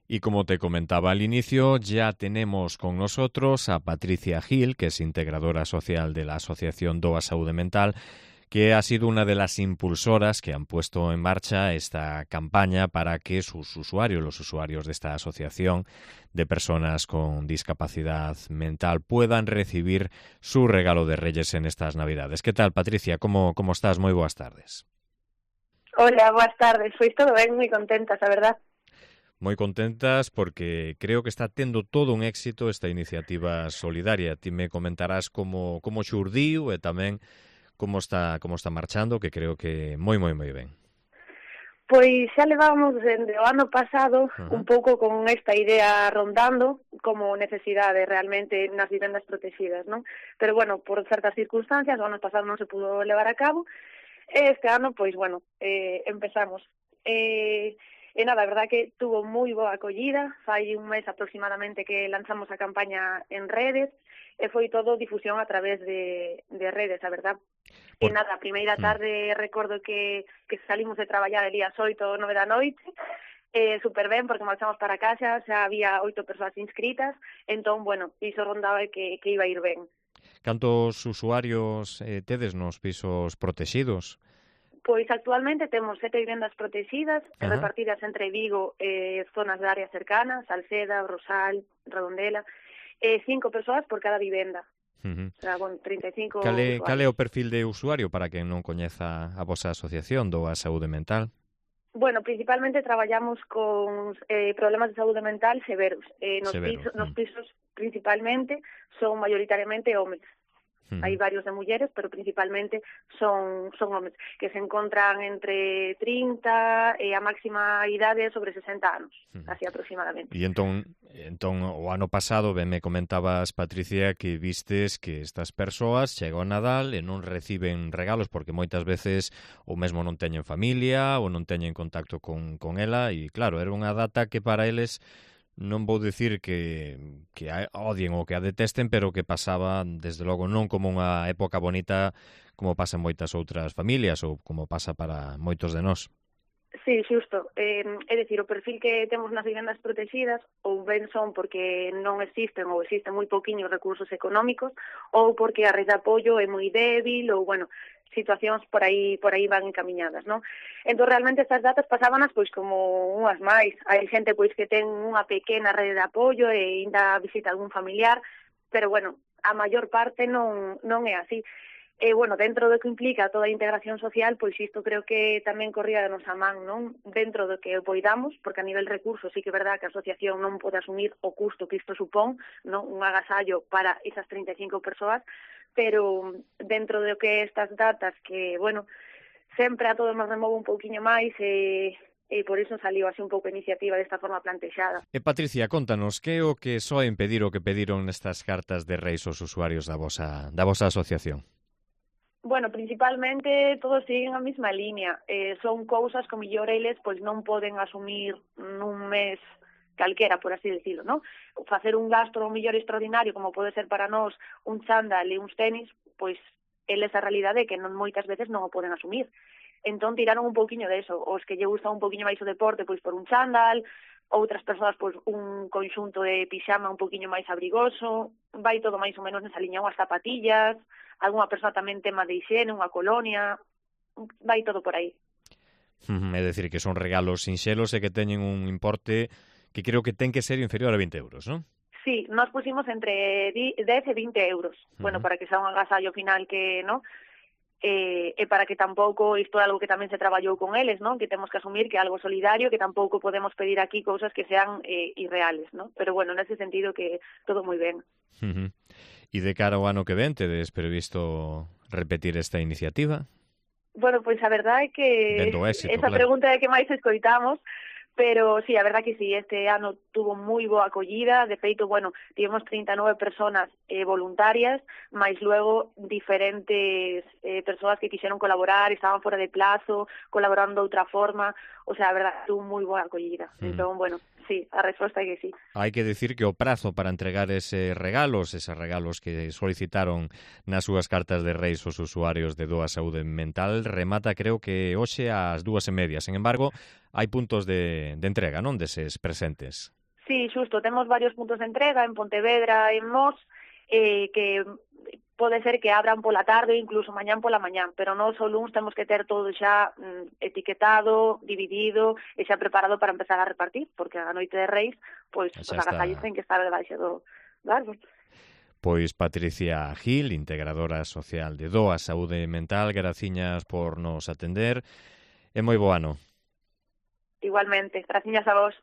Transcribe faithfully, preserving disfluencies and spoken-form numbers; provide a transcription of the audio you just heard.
Y como te comentaba al inicio, ya tenemos con nosotros a Patricia Gil, que es integradora social de la asociación DOA Saúde Mental, que ha sido una de las impulsoras que han puesto en marcha esta campaña para que sus usuarios, los usuarios de esta asociación de personas con discapacidad mental, puedan recibir su regalo de Reyes en estas Navidades. ¿Qué tal, Patricia? ¿Cómo, cómo estás? Muy buenas tardes. Hola, buenas tardes. Pois todo ben, moi contentas, a verdad. Moi contentas porque creo que está tendo todo un éxito esta iniciativa solidaria. Ti me comentarás como, como xurdiu e tamén como está como está marchando, que creo que moi, moi, moi ben. Pois xa levábamos dende o ano pasado Uh-huh. un pouco con esta idea rondando como necesidade realmente nas vivendas protegidas, non? Pero bueno, por certas circunstancias, o ano pasado non se pudo levar a cabo, e este ano, pois bueno, eh, empezamos. Eh, e nada, a verdad que tuvo moi boa acollida, fai un mes aproximadamente que lanzamos a campaña en redes, e foi todo difusión a través de, de redes, a verdad. Por... E nada, a primeira tarde mm. recordo que, que salimos de traballar el día oito, nove da noite, eh, super ben, porque marchamos para casa, xa había oito persoas inscritas, entón, bueno, iso rondaba que, que iba a ir ben. Cantos usuarios eh, tedes nos pisos protegidos? Pois actualmente temos sete vivendas protegidas, uh-huh. repartidas entre Vigo e eh, zonas de áreas cercanas, Salceda, Rosal, Redondela, e eh, cinco persoas por cada vivenda. Uh-huh. O sea, bueno, trinta e cinco Cale, cale é o perfil de usuario para quen non coñeza a vosa asociación do a saúde mental? Bueno, principalmente traballamos con eh, problemas de saúde mental severos. Eh, nos, severos. Pisos, nos pisos principalmente son mayoritariamente homes. Uh-huh. Hai varios de mulleres, pero principalmente son son homes que se encontran entre trinta e a máxima idade sobre sesenta anos, uh-huh. así aproximadamente. E entón, entón o ano pasado ben me comentabas, Patricia, que vistes que estas persoas chega o Nadal e non reciben regalos porque moitas veces ou mesmo non teñen familia ou non teñen contacto con, con ela e claro, era unha data que para eles non vou dicir que, que a odien ou que a detesten, pero que pasaba, desde logo, non como unha época bonita como pasa en moitas outras familias ou como pasa para moitos de nós. Sí, xusto. Eh, é dicir, o perfil que temos nas vivendas protegidas ou ben son porque non existen ou existen moi poquinhos recursos económicos ou porque a rede de apoio é moi débil ou, bueno, situacións por aí por aí van encamiñadas, non? Entón, realmente, estas datas pasábanas pois como unhas máis. Hai xente pois que ten unha pequena rede de apoio e ainda visita algún familiar, pero, bueno, a maior parte non, non é así. E, bueno, dentro do que implica toda a integración social, pois isto creo que tamén corría de nosa man, non? Dentro do que poidamos, porque a nivel recursos sí que é verdad que a asociación non pode asumir o custo que isto supón, non? Un agasallo para esas trinta e cinco persoas, pero dentro do que estas datas que, bueno, sempre a todos nos remove un pouquiño máis e, e por iso saliu así un pouco a iniciativa desta forma plantexada. E Patricia, contanos, que é o que soe impedir o que pediron nestas cartas de reis os usuarios da vosa, da vosa asociación? Bueno, principalmente todos siguen a mesma línea. Eh, son cousas que mellor eles pois non poden asumir nun mes calquera, por así decirlo, ¿no? Facer un gasto o mellor extraordinario, como pode ser para nós un chándal e uns tenis, pois eles a realidade é que non moitas veces non o poden asumir. Entón tiraron un pouquiño de eso. Os que lle gusta un pouquiño máis o deporte, pois por un chándal, outras persoas pois un conxunto de pixama un pouquiño máis abrigoso, vai todo máis ou menos nesa liña, unhas zapatillas, algunha persoa tamén tema de higiene, unha colonia, vai todo por aí. É dicir, que son regalos sinxelos e que teñen un importe que creo que ten que ser inferior a vinte euros, non? Sí, nos pusimos entre dez e vinte euros, uh-huh. bueno, para que sea un agasallo final que, ¿no? E, e para que tampouco, isto é algo que tamén se traballou con eles, ¿no? Que temos que asumir que é algo solidario, que tampouco podemos pedir aquí cousas que sean eh, irreales, ¿no? Pero bueno, nese sentido que todo moi ben. Uh-huh. E de cara ao ano que ven, tedes previsto repetir esta iniciativa? Bueno, pois a verdade é que éxito, esa claro. pregunta é que máis escoitamos, pero sí, a verdad que sí, este ano tuvo moi boa acollida, de feito, bueno, tivemos trinta e nove personas eh, voluntarias, máis luego diferentes eh, persoas que quixeron colaborar, estaban fora de plazo, colaborando de outra forma, o sea, a verdad, tuvo moi boa acollida, mm. entón, bueno, sí, a resposta é que sí. Hai que decir que o prazo para entregar eses regalos, eses regalos que solicitaron nas súas cartas de reis os usuarios de DOA Saúde Mental, remata creo que hoxe ás dúas e media. Sen embargo, hai puntos de, de entrega, non, deses presentes. Sí, xusto, temos varios puntos de entrega en Pontevedra e en Mos, eh, que pode ser que abran pola tarde, incluso mañán pola mañán, pero nós o luns temos que ter todo xa mm, etiquetado, dividido e xa preparado para empezar a repartir, porque a noite de Reis, pois, os agasallos ten que estar debaixo do, do árbol. Pois Patricia Gil, integradora social de D O A Saúde Mental, graciñas por nos atender e moi bo ano. Igualmente, graciñas a vos.